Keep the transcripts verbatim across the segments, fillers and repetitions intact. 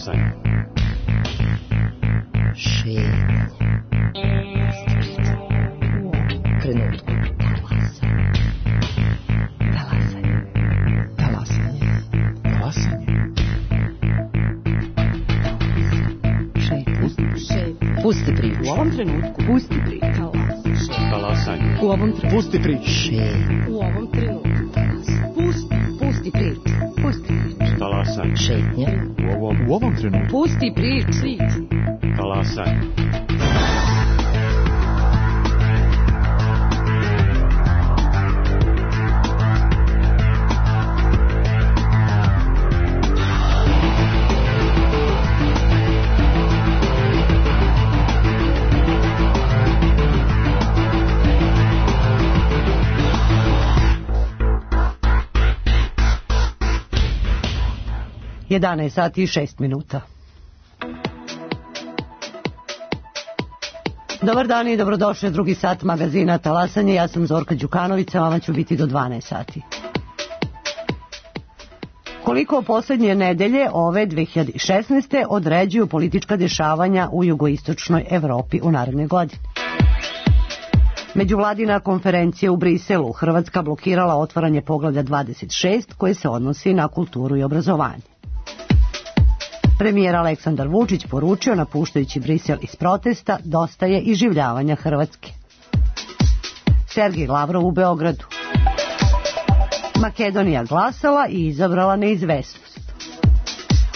Talasanje. Šetnje. Trenutku. Talasanje. Talasanje. Talasanje. Šetnje. Šetnje. Pusti priču. U ovom trenutku. Pusti priču. Talasanje. U ovom trenutku. Pusti priču. Šetnje. U ovom trenutku. Pusti. Pusti priču. Pusti priču. Talasanje. Šetnje. U ovom, u ovom trenutku. Pusti priču. Talasanje. jedanaest sati i šest minuta. Dobar dan i dobrodošli u drugi sat magazina Talasanje. Ja sam Zorka Đukanović, sa vama ću biti do dvanaest sati. Koliko posljednje nedelje ove dve hiljade šesnaeste određuju politička dešavanja u jugoistočnoj Evropi u naredne godine? Međuvladina konferencija u Briselu, Hrvatska blokirala otvaranje poglavlja dvadeset šest koje se odnosi na kulturu i obrazovanje. Premijer Aleksandar Vučić poručio, napuštajući Brisel iz protesta, dosta je iživljavanja Hrvatske. Sergej Lavrov u Beogradu. Makedonija glasala i izabrala neizvesnost.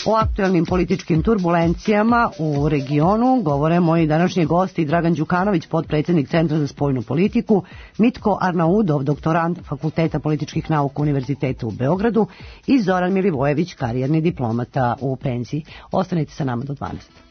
O aktuelnim političkim turbulencijama u regionu govore moji današnji gosti Dragan Đukanović, potpredsjednik Centra za spoljnu politiku, Mitko Arnaudov, doktorant Fakulteta političkih nauka Univerziteta u Beogradu i Zoran Milivojević, karijerni diplomata u penziji. Ostanite sa nama do dvanaest.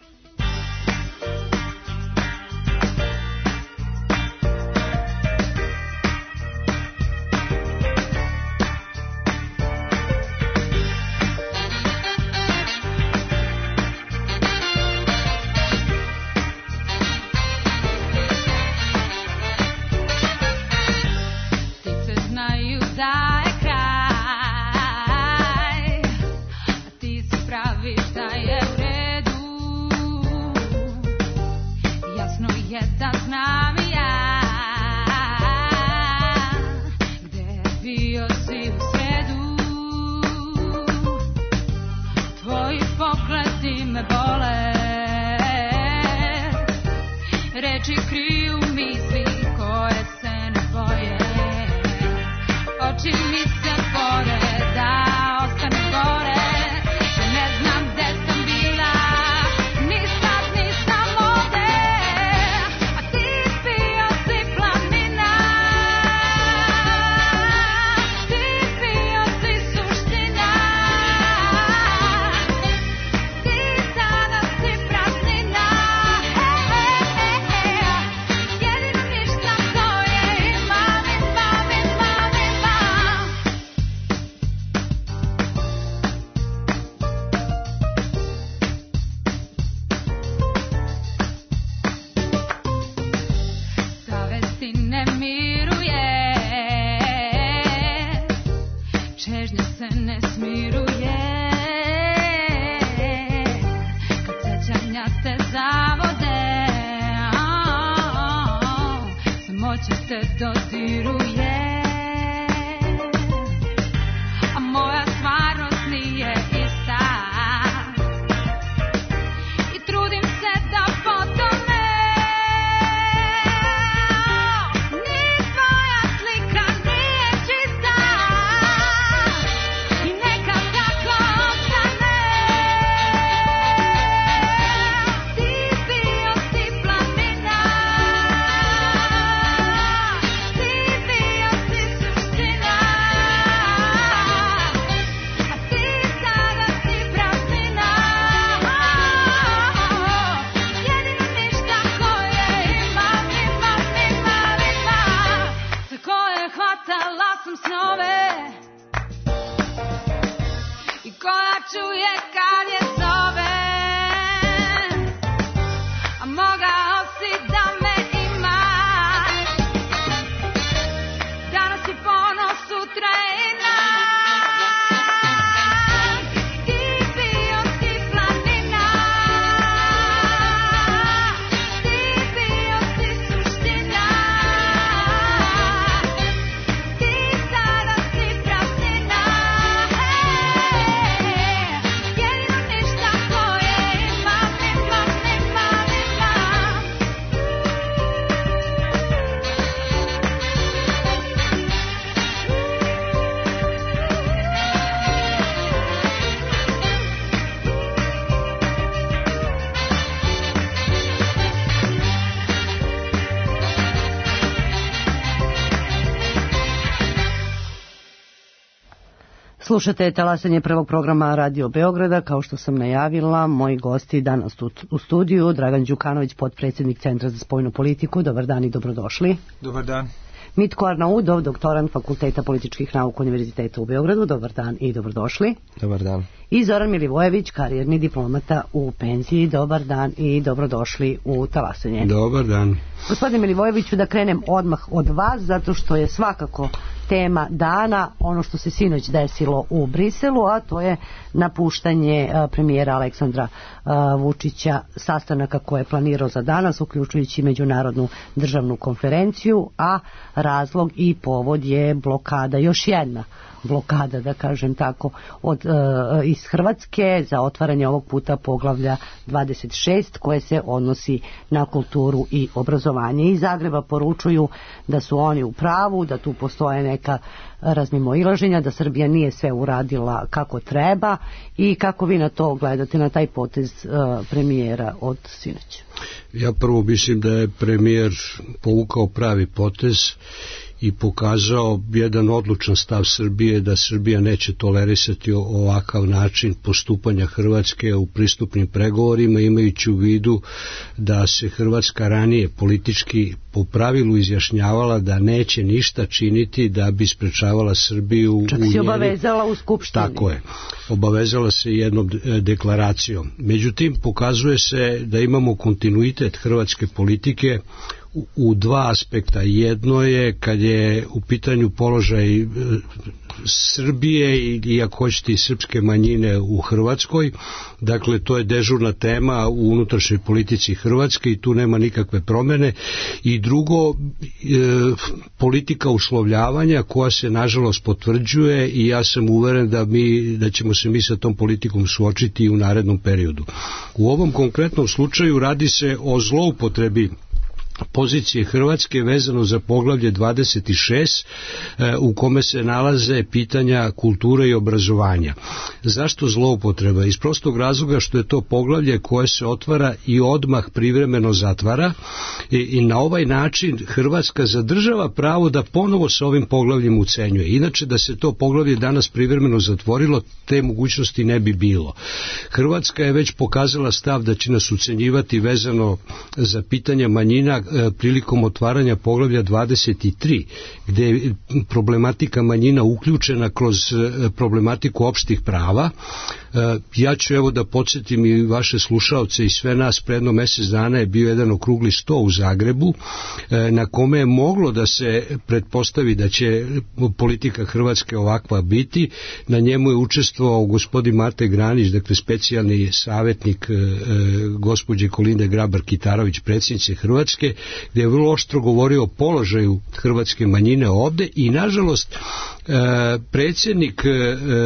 Sutra je dan i ti bio si planina. Slušate talasanje prvog programa Radio Beograda. Kao što sam najavila, moji gosti danas u, u studiju, Dragan Đukanović, potpredsjednik Centra za spoljnu politiku. Dobar dan i dobrodošli. Dobar dan. Mitko Arnaudov, doktorant Fakulteta političkih nauka Univerziteta u Beogradu. Dobar dan i dobrodošli. Dobar dan. I Zoran Milivojević, karijerni diplomata u penziji. Dobar dan i dobrodošli u talasanje. Dobar dan. Gospodine Milivojeviću, da krenem odmah od vas, zato što je svakako tema dana ono što se sinoć desilo u Briselu, a to je napuštanje premijera Aleksandra Vučića, sastanaka koje je planirao za danas, uključujući međunarodnu državnu konferenciju, a razlog i povod je blokada, još jedna blokada, da kažem tako, od, e, iz Hrvatske za otvaranje ovog puta poglavlja dvadeset šest koje se odnosi na kulturu i obrazovanje. Iz Zagreba poručuju da su oni u pravu, da tu postoje neka razmimoilaženja, da Srbija nije sve uradila kako treba. I kako vi na to gledate, na taj potez e, premijera od sinoć? Ja prvo mislim da je premijer povukao pravi potez i pokazao jedan odlučan stav Srbije da Srbija neće tolerisati ovakav način postupanja Hrvatske u pristupnim pregovorima, imajući u vidu da se Hrvatska ranije politički po pravilu izjašnjavala da neće ništa činiti da bi sprečavala Srbiju. Čak u se njeni... obavezala u Skupštini. Tako je. Obavezala se jednom deklaracijom. Međutim, pokazuje se da imamo kontinuitet hrvatske politike u dva aspekta. Jedno je kad je u pitanju položaj Srbije i ako hoćete i srpske manjine u Hrvatskoj, dakle to je dežurna tema u unutrašnjoj politici Hrvatske i tu nema nikakve promene. I drugo, e, politika uslovljavanja koja se nažalost potvrđuje i ja sam uveren da, mi, da ćemo se mi sa tom politikom suočiti i u narednom periodu. U ovom konkretnom slučaju radi se o zloupotrebi pozicije Hrvatske vezano za poglavlje dvadeset šest u kome se nalaze pitanja kulture i obrazovanja. Zašto zloupotreba? Iz prostog razloga što je to poglavlje koje se otvara i odmah privremeno zatvara i, i na ovaj način Hrvatska zadržava pravo da ponovo sa ovim poglavljem ucenjuje. Inače da se to poglavlje danas privremeno zatvorilo, te mogućnosti ne bi bilo. Hrvatska je već pokazala stav da će nas ucenjivati vezano za pitanja manjina prilikom otvaranja poglavlja dvadeset tri, gdje je problematika manjina uključena kroz problematiku opštih prava. Ja ću evo da podsjetim i vaše slušaoce i sve nas, predno mjesec dana je bio jedan okrugli sto u Zagrebu na kome je moglo da se pretpostavi da će politika Hrvatske ovakva biti. Na njemu je učestvovao gospodin Mate Granić, dakle specijalni savjetnik gospođe Kolinde Grabar-Kitarović, predsjednice Hrvatske, gdje je vrlo oštro govorio o položaju hrvatske manjine ovde i nažalost predsjednik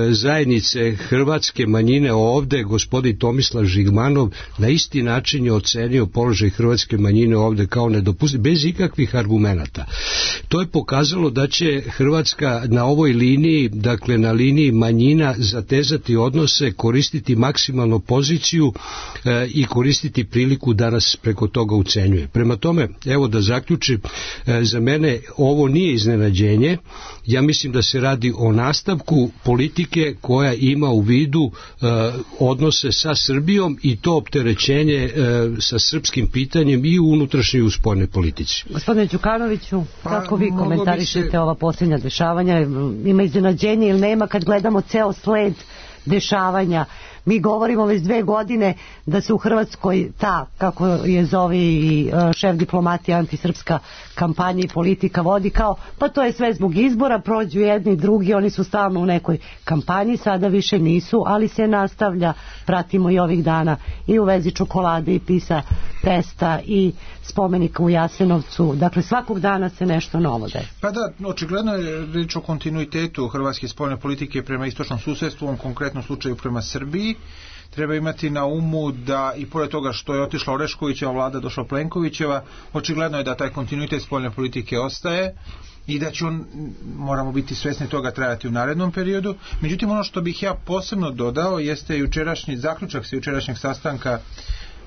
zajednice hrvatske manjine ovde, gospodin Tomislav Žigmanov, na isti način je ocenio položaj hrvatske manjine ovde kao nedopustiv, bez ikakvih argumenata. To je pokazalo da će Hrvatska na ovoj liniji, dakle na liniji manjina, zatezati odnose, koristiti maksimalno poziciju e, i koristiti priliku da nas preko toga ucenjuje. Prema tome, evo da zaključim, e, za mene ovo nije iznenađenje. Ja mislim da se radi o nastavku politike koja ima u vidu e, odnose sa Srbijom i to opterećenje e, sa srpskim pitanjem i u unutrašnjoj i u spoljnoj politici. Gospodine Đukanoviću, kako vi komentarišete se ova posljednja dešavanja? Ima iznenađenje ili nema kad gledamo ceo sled dešavanja? Mi govorimo već dve godine da se u Hrvatskoj ta, kako je zove i šef diplomatije, antisrpska kampanja i politika vodi kao, pa to je sve zbog izbora, prođu jedni i drugi, oni su stalno u nekoj kampanji, sada više nisu, ali se nastavlja, pratimo i ovih dana i u vezi čokolade i PISA testa i spomenika u Jasenovcu, dakle svakog dana se nešto novo desi. Pa da, očigledno je reč o kontinuitetu hrvatske spoljne politike prema istočnom susedstvu, u ovom konkretnom slučaju prema Srbiji. Treba imati na umu da i pored toga što je otišla Oreškovićeva vlada, došla Plenkovićeva, očigledno je da taj kontinuitet spoljne politike ostaje i da će on, moramo biti svesni toga, trajati u narednom periodu. Međutim, ono što bih ja posebno dodao jeste jučerašnji zaključak sa jučerašnjeg sastanka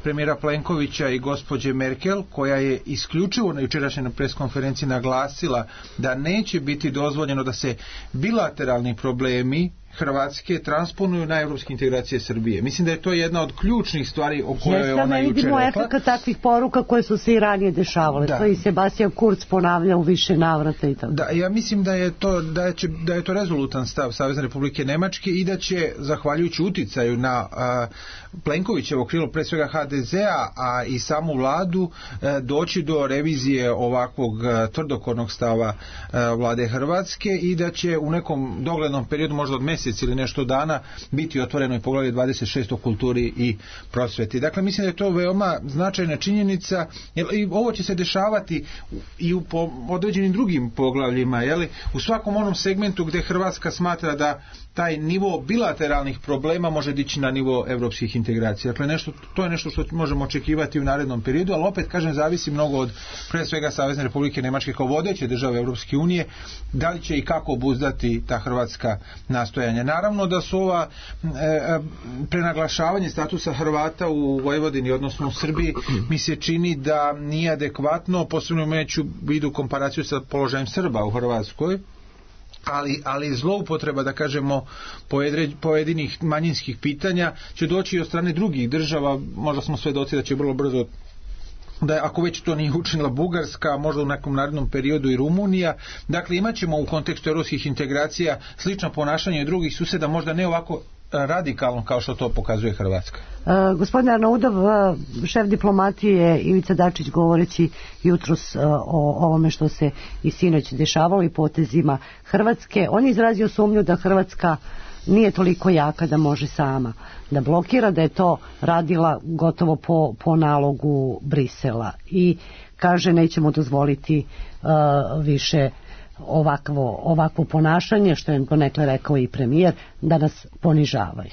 premijera Plenkovića i gospođe Merkel, koja je isključivo na jučerašnjoj preskonferenciji naglasila da neće biti dozvoljeno da se bilateralni problemi Hrvatske transponuju na evropske integracije Srbije. Mislim da je to jedna od ključnih stvari o kojoj je ona juče rekla. Vidimo efekt takvih poruka koje su se i ranije dešavale. Da. To i Sebastian Kurz ponavlja u više navrata i tako. Da, ja mislim da je to da će, da je to rezolutan stav Savezne Republike Nemačke i da će, zahvaljujući uticaju na a, Plenkovićevo krilo, pre svega ha de zea, a i samu vladu, a, doći do revizije ovakvog a, tvrdokornog stava a, vlade Hrvatske i da će u nekom doglednom periodu, možda od mjesec ili nešto dana, biti otvoreno i poglavlje dvadeset šest o kulturi i prosveti. Dakle, mislim da je to veoma značajna činjenica, jer i ovo će se dešavati i u po određenim drugim poglavljima, jeli, u svakom onom segmentu gdje Hrvatska smatra da taj nivo bilateralnih problema može dići na nivo evropskih integracija. Dakle, nešto, to je nešto što možemo očekivati u narednom periodu, ali opet, kažem, zavisi mnogo od, pre svega, Savezne Republike Nemačke kao vodeće države Evropske unije, da li će i kako obuzdati ta hrvatska nastojanja. Naravno da su ova e, prenaglašavanje statusa Hrvata u Vojvodini, odnosno u Srbiji, mi se čini da nije adekvatno, posebno imajući u vidu komparaciju sa položajem Srba u Hrvatskoj, ali, ali zloupotreba, da kažemo, pojedinih manjinskih pitanja će doći i od strane drugih država. Možda smo svedoci da će vrlo brzo, da ako već to nije učinila Bugarska, možda u nekom narednom periodu i Rumunija. Dakle, imat ćemo u kontekstu evropskih integracija slično ponašanje drugih suseda, možda ne ovako radikalno kao što to pokazuje Hrvatska. Uh, gospodin Arnaudov, uh, šef diplomatije Ivica Dačić, govoreći jutros uh, o ovome što se i sinoć dešavalo i potezima Hrvatske, on je izrazio sumnju da Hrvatska nije toliko jaka da može sama da blokira, da je to radila gotovo po, po nalogu Brisela i kaže nećemo dozvoliti uh, više ovakvo, ovakvo ponašanje, što je donekle rekao i premijer, da nas ponižavaju.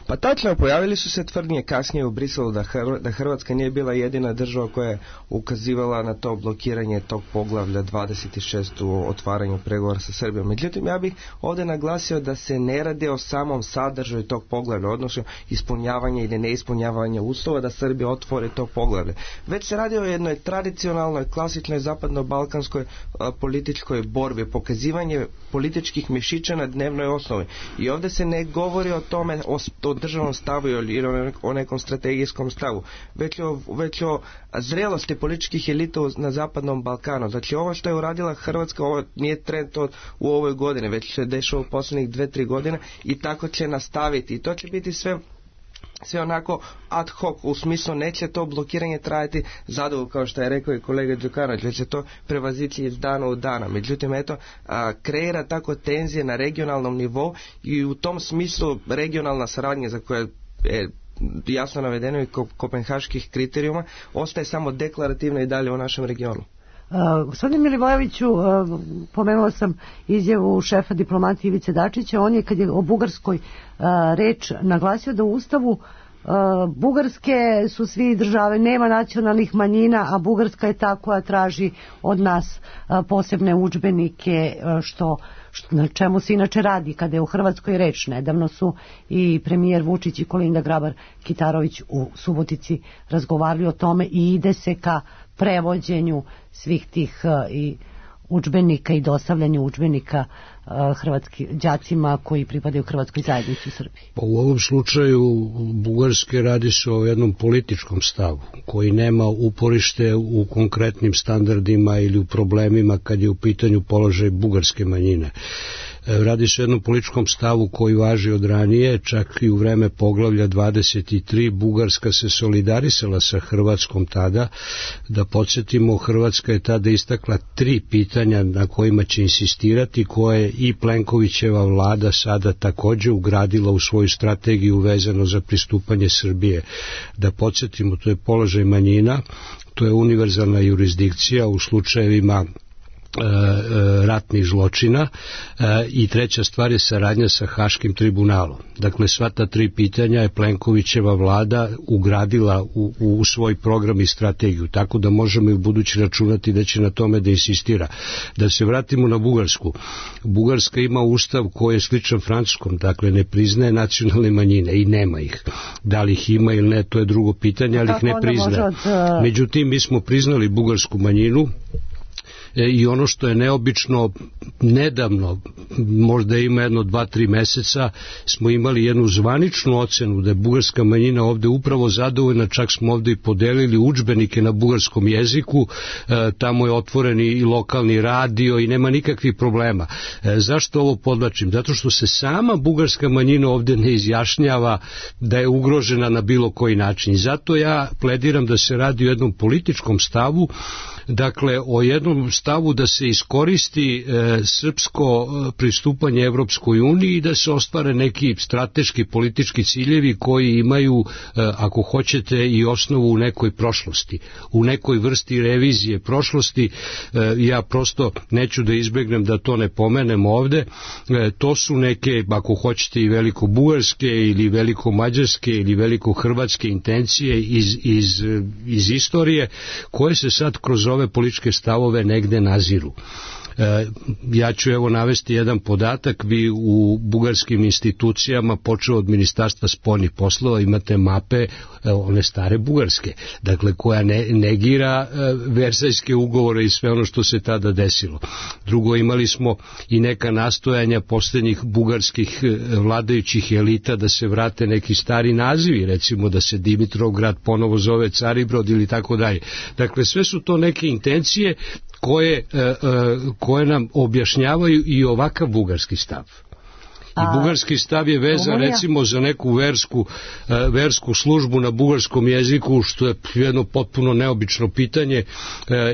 Pa tačno, pojavili su se tvrdnje kasnije u Briselu da, Hr- da Hrvatska nije bila jedina država koja je ukazivala na to blokiranje tog poglavlja dvadeset šest u otvaranju pregovora sa Srbijom. Međutim, ja bih ovdje naglasio da se ne radi o samom sadržaju tog poglavlja, odnosno ispunjavanje ili neispunjavanje uslova da Srbija otvori to poglavlje. Već se radi o jednoj tradicionalnoj, klasičnoj zapadno-balkanskoj a, političkoj borbi, pokazivanje političkih mišića na dnevnoj osnovi. I ovdje se ne govori o tome, o, o državnom stavu ili o nekom strategijskom stavu, već o, već o zrelosti političkih elita na zapadnom Balkanu. Znači, ovo što je uradila Hrvatska, ovo nije trend to u ovoj godini, već se dešava u posljednjih dve, tri godine i tako će nastaviti. I to će biti sve sve onako ad hoc, u smislu neće to blokiranje trajati zadovoljno, kao što je rekao i kolega Đukanović, već će to prevazići iz dana u dana. Međutim, eto, a, kreira tako tenzije na regionalnom nivou i u tom smislu regionalna saradnja za koje je jasno navedeno i kopenhaških kriterijuma ostaje samo deklarativna i dalje u našem regionu. Uh, gospodine Milivojeviću, uh, pomenula sam izjavu šefa diplomatije Ivice Dačića. On je, kad je o Bugarskoj uh, reč, naglasio da u Ustavu uh, Bugarske su svi države, nema nacionalnih manjina, a Bugarska je ta koja traži od nas uh, posebne udžbenike, uh, što, što na čemu se inače radi kada je u Hrvatskoj reč. Nedavno su i premijer Vučić i Kolinda Grabar-Kitarović u Subotici razgovarali o tome i ide se ka prevođenju svih tih uh, i udžbenika i dostavljanju udžbenika uh, hrvatskim đacima koji pripadaju hrvatskoj zajednici u Srbiji. Pa u ovom slučaju Bugarske radi se o jednom političkom stavu koji nema uporište u konkretnim standardima ili u problemima kad je u pitanju položaj bugarske manjine. Radi se o jednom političkom stavu koji važi od ranije, čak i u vreme poglavlja dvadeset tri Bugarska se solidarisala sa Hrvatskom tada. Da podsjetimo, Hrvatska je tada istakla tri pitanja na kojima će insistirati, koje i Plenkovićeva vlada sada također ugradila u svoju strategiju vezano za pristupanje Srbije. Da podsjetimo, to je položaj manjina, to je univerzalna jurisdikcija u slučajevima ratnih zločina i treća stvar je saradnja sa Haškim tribunalom. Dakle, sva ta tri pitanja je Plenkovićeva vlada ugradila u, u svoj program i strategiju, tako da možemo i u budući računati da će na tome da insistira. Da se vratimo na Bugarsku. Bugarska ima ustav koji je sličan francuskom, dakle ne priznaje nacionalne manjine i nema ih. Da li ih ima ili ne, to je drugo pitanje, ali ih ne priznaje. Međutim, mi smo priznali bugarsku manjinu i ono što je neobično, nedavno, možda ima jedno dva, tri meseca, smo imali jednu zvaničnu ocenu da je bugarska manjina ovde upravo zadovoljna, čak smo ovde i podelili udžbenike na bugarskom jeziku, e, tamo je otvoren i lokalni radio i nema nikakvih problema. E, zašto ovo podlačim? Zato što se sama bugarska manjina ovde ne izjašnjava da je ugrožena na bilo koji način. I zato ja plediram da se radi o jednom političkom stavu, dakle o jednom stavu da se iskoristi e, srpsko pristupanje Evropskoj uniji i da se ostvare neki strateški politički ciljevi koji imaju, e, ako hoćete, i osnovu u nekoj prošlosti, u nekoj vrsti revizije prošlosti. E, ja prosto neću da izbegnem da to ne pomenem ovde. E, to su neke, ako hoćete, i veliko-bugarske ili veliko-mađarske ili veliko-hrvatske intencije iz, iz, iz istorije, koje se sad kroz ove političke stavove negde naziru. E, ja ću evo navesti jedan podatak. Vi u bugarskim institucijama, počeo od Ministarstva spoljnih poslova, imate mape, e, one stare bugarske, dakle koja ne, negira e, Versajske ugovore i sve ono što se tada desilo. Drugo, imali smo i neka nastojanja posljednjih bugarskih vladajućih elita da se vrate neki stari nazivi, recimo da se Dimitrovgrad ponovo zove Caribrod ili tako dalje. Dakle, sve su to neke intencije koje, koje nam objašnjavaju i ovakav bugarski stav. I bugarski stav je vezan Rumunija, recimo za neku versku, versku službu na bugarskom jeziku, što je jedno potpuno neobično pitanje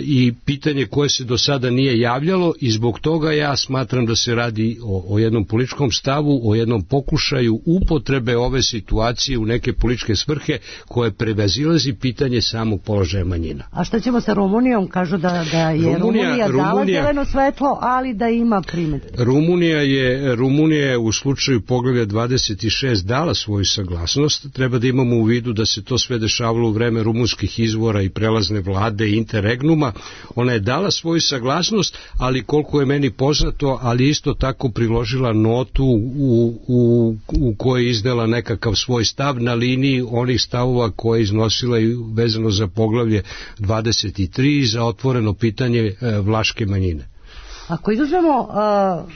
i pitanje koje se do sada nije javljalo, i zbog toga ja smatram da se radi o, o jednom političkom stavu, o jednom pokušaju upotrebe ove situacije u neke političke svrhe koje prevazilazi pitanje samog položaja manjina. A šta ćemo sa Rumunijom? Kažu da, da je Rumunija, Rumunija dala Rumunija, zeleno svetlo, ali da ima primedbe. Rumunija je, Rumunija je u slučaju poglavlja dvadeset šest dala svoju saglasnost. Treba da imamo u vidu da se to sve dešavalo u vreme rumunskih izvora i prelazne vlade i interregnuma. Ona je dala svoju saglasnost, ali koliko je meni poznato, ali isto tako priložila notu u, u, u kojoj je izdala nekakav svoj stav na liniji onih stavova koje je iznosila i vezano za poglavlje dvadeset tri za otvoreno pitanje e, vlaške manjine. Ako izuzmemo uh...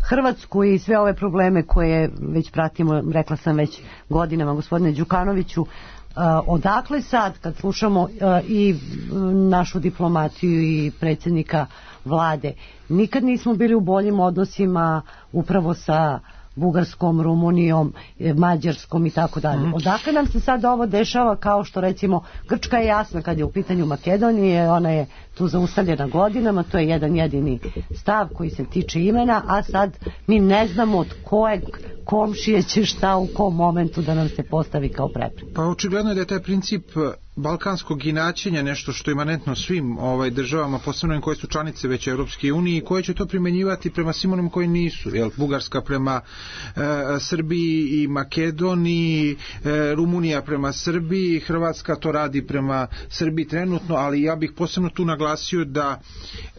Hrvatsku i sve ove probleme koje već pratimo, rekla sam već godinama, gospodine Đukanoviću, uh, odakle sad, kad slušamo uh, i našu diplomaciju i predsjednika vlade, nikad nismo bili u boljim odnosima upravo sa Bugarskom, Rumunijom, Mađarskom i tako dalje. Odakle nam se sad ovo dešava, kao što recimo Grčka je jasna kad je u pitanju Makedonije, ona je tu zaustavljena godinama, to je jedan jedini stav koji se tiče imena, a sad mi ne znamo od kojeg komšije će šta u kom momentu da nam se postavi kao prepreka. Pa očigledno je da je taj princip balkanskog inačenja nešto što je imanentno svim ovaj državama, posebno koje su članice već Europske unije i koje će to primenjivati prema svim onim koji nisu. Jel, Bugarska prema e, Srbiji i Makedoniji, e, Rumunija prema Srbiji, Hrvatska to radi prema Srbiji trenutno, ali ja bih posebno tu naglasio da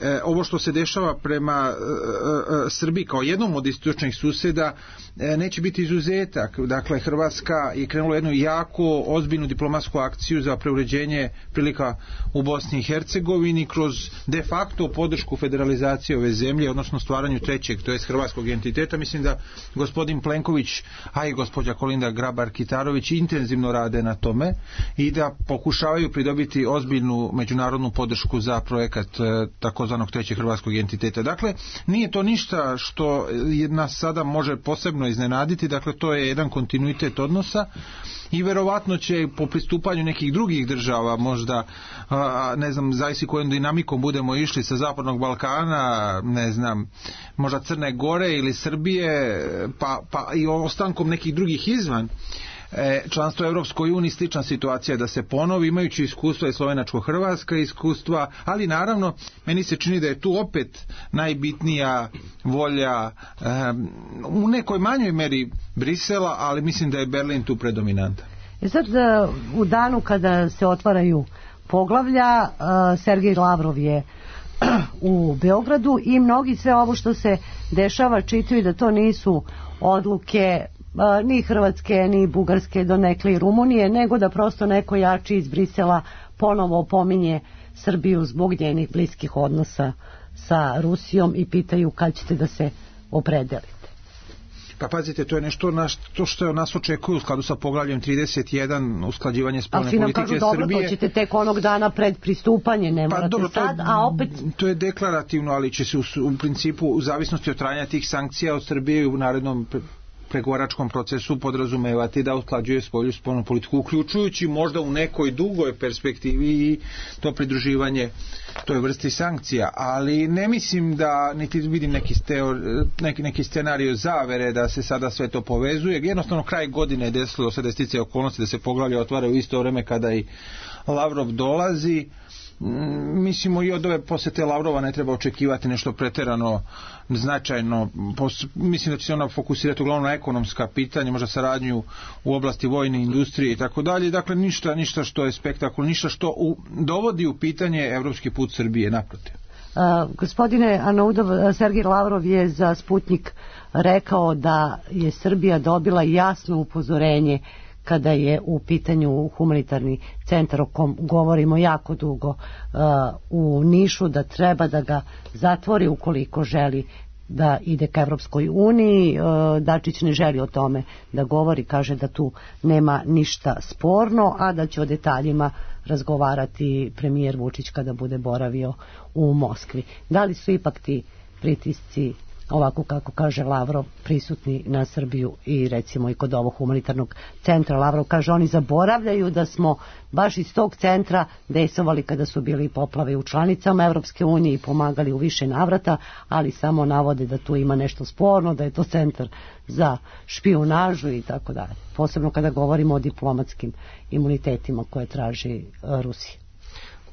e, ovo što se dešava prema e, e, Srbiji kao jednom od istočnih suseda e, neće biti izuzetak. Dakle, Hrvatska je krenula jednu jako ozbiljnu diplomatsku akciju za preuređenje prilika u Bosni i Hercegovini kroz de facto podršku federalizacije ove zemlje, odnosno stvaranju trećeg, to jest hrvatskog entiteta. Mislim da gospodin Plenković, a i gospođa Kolinda Grabar-Kitarović intenzivno rade na tome i da pokušavaju pridobiti ozbiljnu međunarodnu podršku za projekat takozvanog trećeg hrvatskog entiteta. Dakle, nije to ništa što nas sada može posebno iznenaditi, dakle to je jedan kontinuitet odnosa i verovatno će po pristupanju nekih drugih država, možda a, ne znam, zavisi kojom dinamikom budemo išli sa Zapadnog Balkana, ne znam, možda Crne Gore ili Srbije, pa, pa i ostankom nekih drugih izvan e, članstvo u Europskoj uniji, slična situacija da se ponovi, imajući iskustva i slovenačko-hrvatska iskustva, ali naravno meni se čini da je tu opet najbitnija volja e, u nekoj manjoj meri Brisela, ali mislim da je Berlin tu predominantan. I sad u danu kada se otvaraju poglavlja, Sergej Lavrov je u Beogradu i mnogi sve ovo što se dešava čitaju da to nisu odluke ni Hrvatske, ni Bugarske, donekle i Rumunije, nego da prosto neko jači iz Brisela ponovo opominje Srbiju zbog njenih bliskih odnosa sa Rusijom i pitaju kad ćete da se opredelite? Pa pazite, to je nešto na što, što nas očekuje u skladu sa poglavljem trideset jedan, usklađivanje spoljne politike Srbije. Ali svi nam kažu, dobro, to ćete tek onog dana pred pristupanje, ne morate pa, dobro, sad, je, a opet... To je deklarativno, ali će se u, u principu, u zavisnosti od trajanja tih sankcija od Srbije u narednom pregovaračkom procesu podrazumevati da usklađuje svoju spoljnu politiku, uključujući možda u nekoj dugoj perspektivi i to pridruživanje toj vrsti sankcija, ali ne mislim da niti vidim neki, steo, neki, neki scenario zavere da se sada sve to povezuje. Jednostavno kraj godine je desilo se da sticaje okolnosti da se poglavlja otvaraju u isto vreme kada i Lavrov dolazi. Mislimo i od ove posete Lavrova ne treba očekivati nešto preterano značajno. Pos, mislim da će se ona fokusirati uglavnom na ekonomska pitanja, možda saradnju u oblasti vojne industrije i tako dalje. Dakle, ništa, ništa što je spektakul, ništa što u, dovodi u pitanje evropski put Srbije, naprotiv. Uh, gospodine Arnaudov, Sergej Lavrov je za Sputnik rekao da je Srbija dobila jasno upozorenje kada je u pitanju humanitarni centar o kom govorimo jako dugo uh, u Nišu, da treba da ga zatvori ukoliko želi da ide ka Evropskoj uniji. Uh, Dačić ne želi o tome da govori, kaže da tu nema ništa sporno, a da će o detaljima razgovarati premijer Vučić kada bude boravio u Moskvi. Da li su ipak ti pritisci, ovako kako kaže Lavrov, prisutni na Srbiju i recimo i kod ovog humanitarnog centra? Lavrov kaže, oni zaboravljaju da smo baš iz tog centra dejstvovali kada su bili poplave u članicama Evropske unije i pomagali u više navrata, ali samo navode da tu ima nešto sporno, da je to centar za špijunažu i tako dalje. Posebno kada govorimo o diplomatskim imunitetima koje traži Rusija.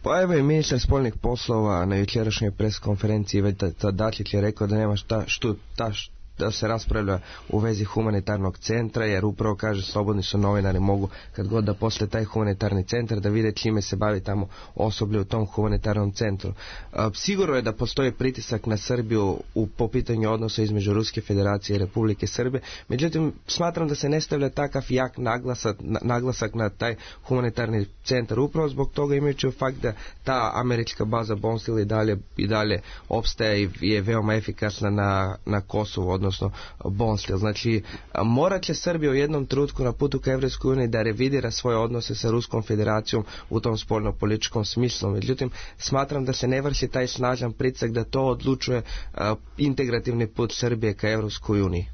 Pa evo i ministar spoljnih poslova na jučerašnjoj preskonferenciji već Dačić je rekao da nema šta što ta da se raspravlja u vezi humanitarnog centra, jer upravo kaže slobodni su novinari, mogu kad god da posle taj humanitarni centar da vide čime se bavi tamo osoblje u tom humanitarnom centru. Sigurno je da postoji pritisak na Srbiju u, po pitanju odnosa između Ruske federacije i Republike Srbije, međutim smatram da se ne stavlja takav jak naglasak, naglasak na taj humanitarni centar, upravo zbog toga imajući u fakt da ta američka baza Bonstil i dalje, i dalje opstaje i je veoma efikasna na, na Kosovu, odnosno Bonstil. Znači, morat će Srbija u jednom trenutku na putu ka Evropskoj uniji da revidira svoje odnose sa Ruskom federacijom u tom spoljno-političkom smislu. Međutim, smatram da se ne vrši taj snažan pritisak da to odlučuje uh, integrativni put Srbije ka Evropskoj uniji.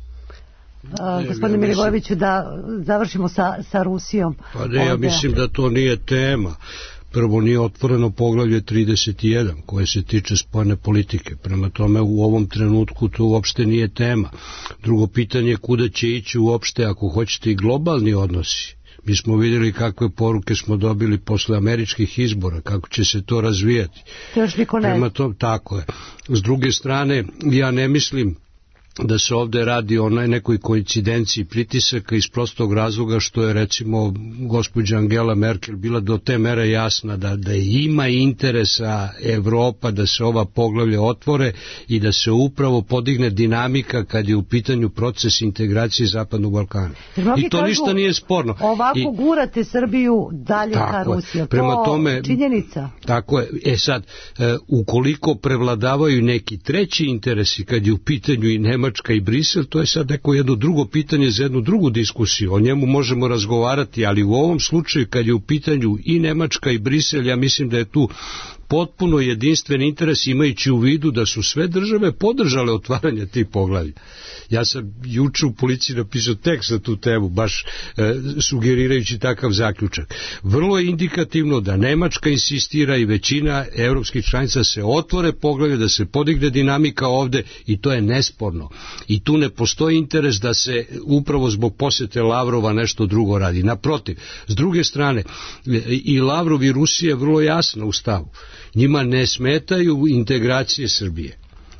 Uh, gospodine Milivojeviću, da završimo sa, sa Rusijom. Pa ne, ja mislim da to nije tema. Prvo, nije otvoreno poglavlje trideset jedan koje se tiče spoljne politike. Prema tome, u ovom trenutku to uopšte nije tema. Drugo pitanje je kuda će ići uopšte, ako hoćete, i globalni odnosi. Mi smo vidjeli kakve poruke smo dobili posle američkih izbora, kako će se to razvijati. To još niko ne. Prema tome, tako je. S druge strane, ja ne mislim da se ovde radi o nekoj koincidenciji pritisaka iz prostog razloga što je recimo gospođa Angela Merkel bila do te mere jasna da, da ima interesa Evropa da se ova poglavlja otvore i da se upravo podigne dinamika kad je u pitanju proces integracije Zapadnog Balkana. I to kažu, ništa nije sporno. Ovako I, gurate Srbiju dalje ka Rusiji. Prema to tome, činjenica. Tako je. E sad, e, ukoliko prevladavaju neki treći interesi kad je u pitanju i Nemačka i Brisel, to je sad neko jedno drugo pitanje za jednu drugu diskusiju. O njemu možemo razgovarati, ali u ovom slučaju kad je u pitanju i Nemačka i Brisel, ja mislim da je tu potpuno jedinstven interes, imajući u vidu da su sve države podržale otvaranje tih poglavlja. Ja sam juče u Policiji napisao tekst na tu temu, baš e, sugerirajući takav zaključak. Vrlo je indikativno da Nemačka insistira i većina evropskih članica se otvore poglavlja, da se podigne dinamika ovde i to je nesporno. I tu ne postoji interes da se upravo zbog posete Lavrova nešto drugo radi. Naprotiv, s druge strane, i Lavrov i Rusija je vrlo jasna u stavu. Njima ne smetaju integracije Srbije.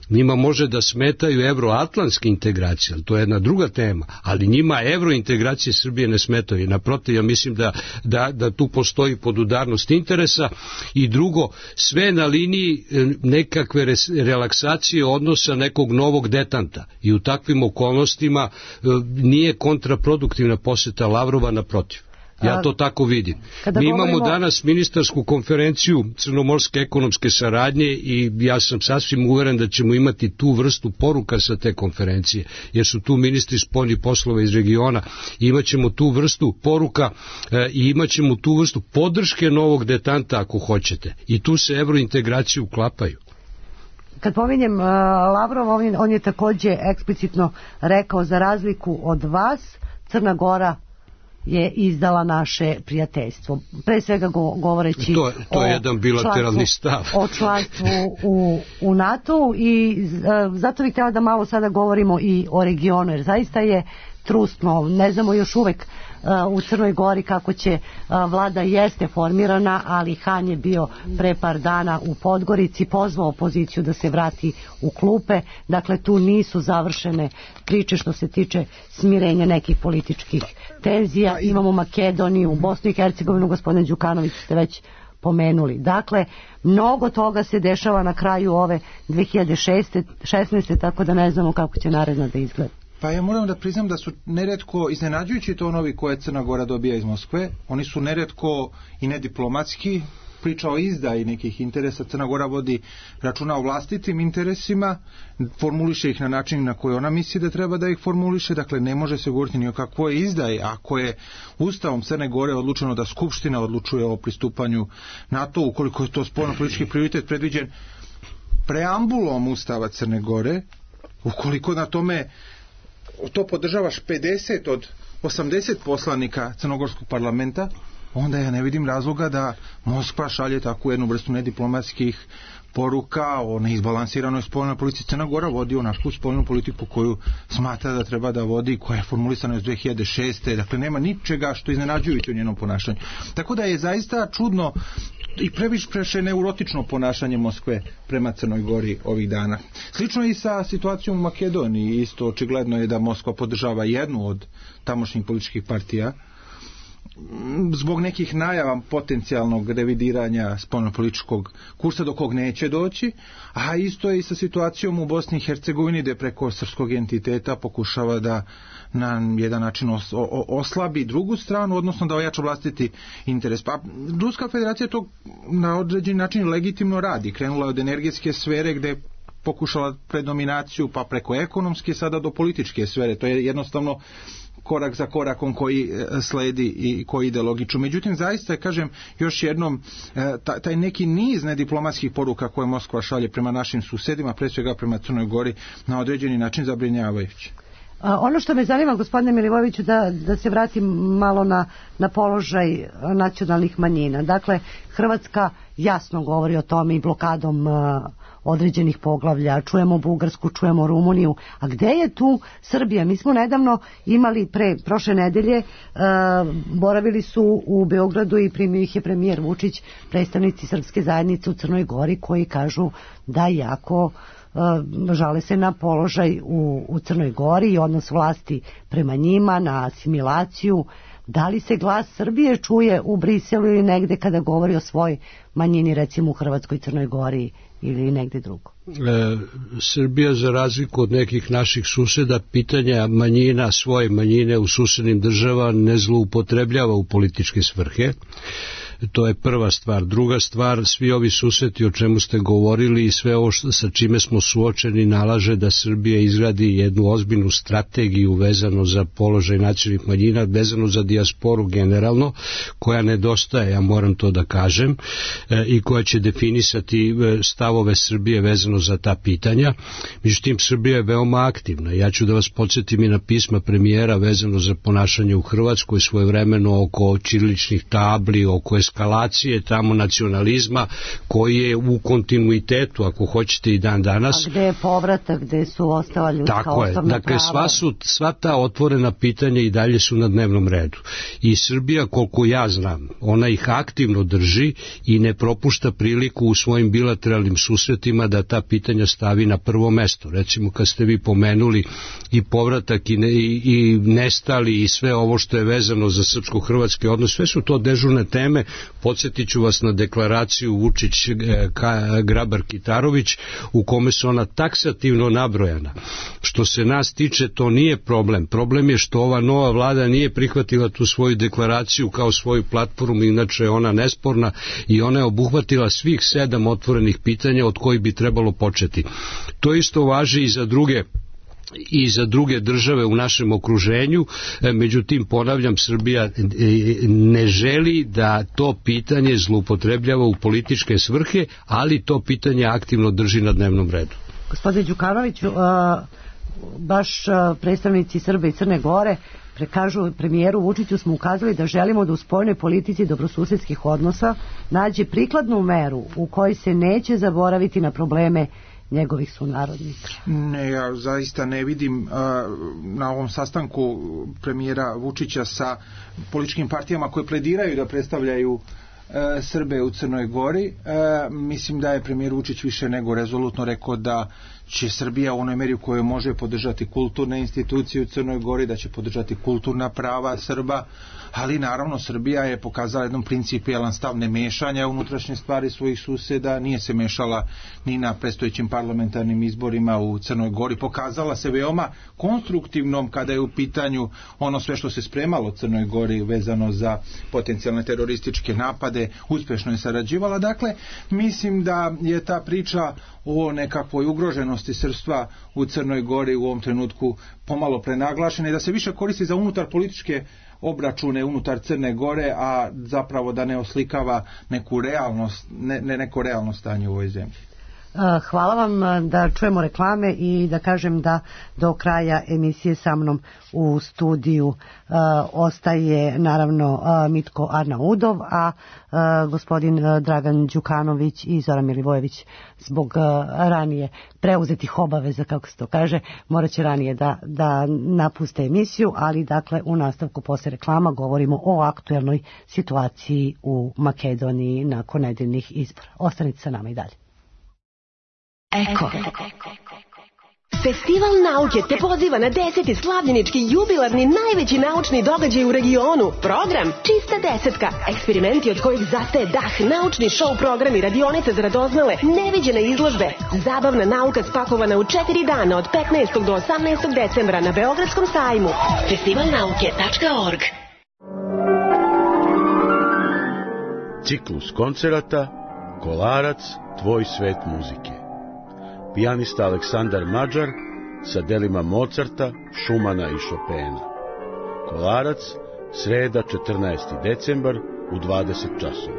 Njima može da smetaju evroatlantske integracije, ali to je jedna druga tema, ali njima evrointegracije Srbije ne smetaju. Naprotiv, ja mislim da, da, da tu postoji podudarnost interesa i drugo, sve na liniji nekakve relaksacije odnosa nekog novog detanta i u takvim okolnostima nije kontraproduktivna poseta Lavrova, naprotiv. Ja to tako vidim. Kada Mi govorimo... imamo danas ministarsku konferenciju crnomorske ekonomske saradnje i ja sam sasvim uveren da ćemo imati tu vrstu poruka sa te konferencije, jer su tu ministri spoljnih poslova iz regiona. Imaćemo tu vrstu poruka e, i imaćemo tu vrstu podrške novog detanta ako hoćete. I tu se evrointegraciju uklapaju. Kad pominjem uh, Lavrov, on je, on je takođe eksplicitno rekao, za razliku od vas, Crna Gora je izdala naše prijateljstvo. Pre svega go, govoreći to, to je o jedan bilateralni stav. O članstvu u, u NATO i uh, zato bih htjela da malo sada govorimo i o regionu, jer zaista je trusno, ne znamo još uvek uh, u Crnoj Gori kako će uh, vlada jeste formirana, ali Han je bio pre par dana u Podgorici, pozvao opoziciju da se vrati u klupe, dakle tu nisu završene priče što se tiče smirenja nekih političkih tenzija. Imamo Makedoniju, Bosnu i Hercegovinu, gospodin Đukanović ste već pomenuli. Dakle, mnogo toga se dešava na kraju ove dve hiljade šesnaeste. tako da ne znamo kako će naredno da izgleda. Pa ja moram da priznam da su neretko iznenađujući tonovi koje Crna Gora dobija iz Moskve. Oni su neretko i nediplomatski, priča o izdaji nekih interesa. Crna Gora vodi računa o vlastitim interesima, formuliše ih na način na koji ona misli da treba da ih formuliše, dakle ne može se govoriti ni o kakvoj izdaji. Ako je Ustavom Crne Gore odlučeno da Skupština odlučuje o pristupanju NATO, ukoliko je to spoljnopolitički prioritet predviđen preambulom Ustava Crne Gore, ukoliko na tome to podržavaš pedeset od osamdeset poslanika crnogorskog parlamenta, onda ja ne vidim razloga da Moskva šalje takvu jednu vrstu nediplomatskih poruka o neizbalansiranoj spoljnoj politici. Crna Gora vodi onakvu spoljnu politiku koju smatra da treba da vodi, koja je formulisana iz dve hiljade šeste. Dakle, nema ničega što iznenađujuće u njenom ponašanju. Tako da je zaista čudno i previše neurotično ponašanje Moskve prema Crnoj Gori ovih dana. Slično i sa situacijom u Makedoniji. Isto očigledno je da Moskva podržava jednu od tamošnjih političkih partija zbog nekih najava potencijalnog revidiranja spoljnopolitičkog kursa do kog neće doći, a isto je i sa situacijom u Bosni i Hercegovini, gde preko srpskog entiteta pokušava da na jedan način os, o, oslabi drugu stranu, odnosno da ojača vlastiti interes. Pa Ruska federacija to na određeni način legitimno radi. Krenula je od energetske sfere gde pokušala predominaciju, pa preko ekonomske sada do političke sfere. To je jednostavno korak za korakom koji sledi i koji ide logično. Međutim, zaista, kažem, još jednom, taj neki niz nediplomatskih poruka koje Moskva šalje prema našim susedima, pre svega prema Crnoj Gori, na određeni način zabrinjavajući. A ono što me zanima, gospodine Milivojeviću, da, da se vratim malo na, na položaj nacionalnih manjina. Dakle, Hrvatska jasno govori o tome i blokadom uh, određenih poglavlja. Čujemo Bugarsku, čujemo Rumuniju. A gde je tu Srbija? Mi smo nedavno imali pre prošle nedelje, uh, boravili su u Beogradu i primio ih je premijer Vučić, predstavnici srpske zajednice u Crnoj Gori, koji kažu da jako žale se na položaj u, u Crnoj Gori i odnos vlasti prema njima, na asimilaciju. Da li se glas Srbije čuje u Briselu ili negde kada govori o svoj manjini, recimo u Hrvatskoj, Crnoj Gori ili negde drugo? E, Srbija, za razliku od nekih naših suseda, pitanja manjina, svoje manjine u susednim država ne zloupotrebljava u političke svrhe. To je prva stvar. Druga stvar, svi ovi susreti o čemu ste govorili i sve ovo sa čime smo suočeni nalaže da Srbija izgradi jednu ozbiljnu strategiju vezano za položaj nacionalnih manjina, vezano za dijasporu generalno, koja nedostaje, ja moram to da kažem, e, i koja će definisati stavove Srbije vezano za ta pitanja. Međutim, Srbija je veoma aktivna. Ja ću da vas podsjetim i na pisma premijera vezano za ponašanje u Hrvatskoj svojevremeno oko ćiriličnih tabli, oko eskalacije tamo nacionalizma koji je u kontinuitetu, ako hoćete, i dan danas. A gde je povratak, gde su ostala ljudska Tako je. osobna Dakle, prava? sva, su, sva ta otvorena pitanja i dalje su na dnevnom redu. I Srbija, koliko ja znam, ona ih aktivno drži i ne propušta priliku u svojim bilateralnim susretima da ta pitanja stavi na prvo mesto. Recimo, kad ste vi pomenuli i povratak i, ne, i, i nestali i sve ovo što je vezano za srpsko-hrvatske odnose, sve su to dežurne teme Podsjetit ću vas na deklaraciju Vučić-Grabar-Kitarović u kome su ona taksativno nabrojana. Što se nas tiče, to nije problem. Problem je što ova nova vlada nije prihvatila tu svoju deklaraciju kao svoju platformu, inače je ona nesporna i ona je obuhvatila svih sedam otvorenih pitanja od kojih bi trebalo početi. To isto važi i za druge i za druge države u našem okruženju, međutim ponavljam, Srbija ne želi da to pitanje zloupotrebljava u političke svrhe, ali to pitanje aktivno drži na dnevnom redu. Gospodine Đukanoviću, baš predstavnici Srbije i Crne Gore prekažu premijeru Vučiću smo ukazali da želimo da u spoljnoj politici dobrosusedskih odnosa nađe prikladnu meru u kojoj se neće zaboraviti na probleme njegovih sunarodnika. Ne, ja zaista ne vidim uh, na ovom sastanku premijera Vučića sa političkim partijama koje plediraju da predstavljaju uh, Srbe u Crnoj Gori. Uh, mislim da je premijer Vučić više nego rezolutno rekao da će Srbija u onoj meri u kojoj može podržati kulturne institucije u Crnoj Gori, da će podržati kulturna prava Srba, ali naravno Srbija je pokazala jedan principijelan stav nemešanja unutrašnje stvari svojih suseda, nije se mešala ni na predstojećim parlamentarnim izborima u Crnoj Gori, pokazala se veoma konstruktivnom kada je u pitanju ono sve što se spremalo u Crnoj Gori vezano za potencijalne terorističke napade, uspješno je sarađivala. Dakle, mislim da je ta priča o nekakvoj ugroženosti srpstva u Crnoj Gori u ovom trenutku pomalo prenaglašena i da se više koristi za unutar političke obračune unutar Crne Gore, a zapravo da ne oslikava neku realnost, ne, ne neko realno stanje u ovoj zemlji. Hvala vam, da čujemo reklame i da kažem da do kraja emisije sa mnom u studiju uh, ostaje naravno uh, Mitko Arnaudov, a uh, gospodin uh, Dragan Đukanović i Zoran Milivojević zbog uh, ranije preuzetih obaveza, kako se to kaže, morat će ranije da, da napuste emisiju, ali dakle u nastavku posle reklama govorimo o aktuelnoj situaciji u Makedoniji nakon nedeljnih izbora. Ostanite sa nama i dalje. Eko. Festival nauke te poziva na deseti slavljenički jubilarni najveći naučni događaj u regionu. Program Čista desetka. Eksperimenti od kojih zastaje dah, naučni show programi, radionice za radoznale, neviđene izložbe. Zabavna nauka spakovana u četiri dana od petnaestog do osamnaestog decembra na Beogradskom sajmu. festival nauke tačka org. Ciklus koncerata Kolarac, tvoj svet muzike. Pijanista Aleksandar Mađar sa delima Mozarta, Šumana i Šopena. Kolarac, sreda četrnaesti decembar u dvadeset časova.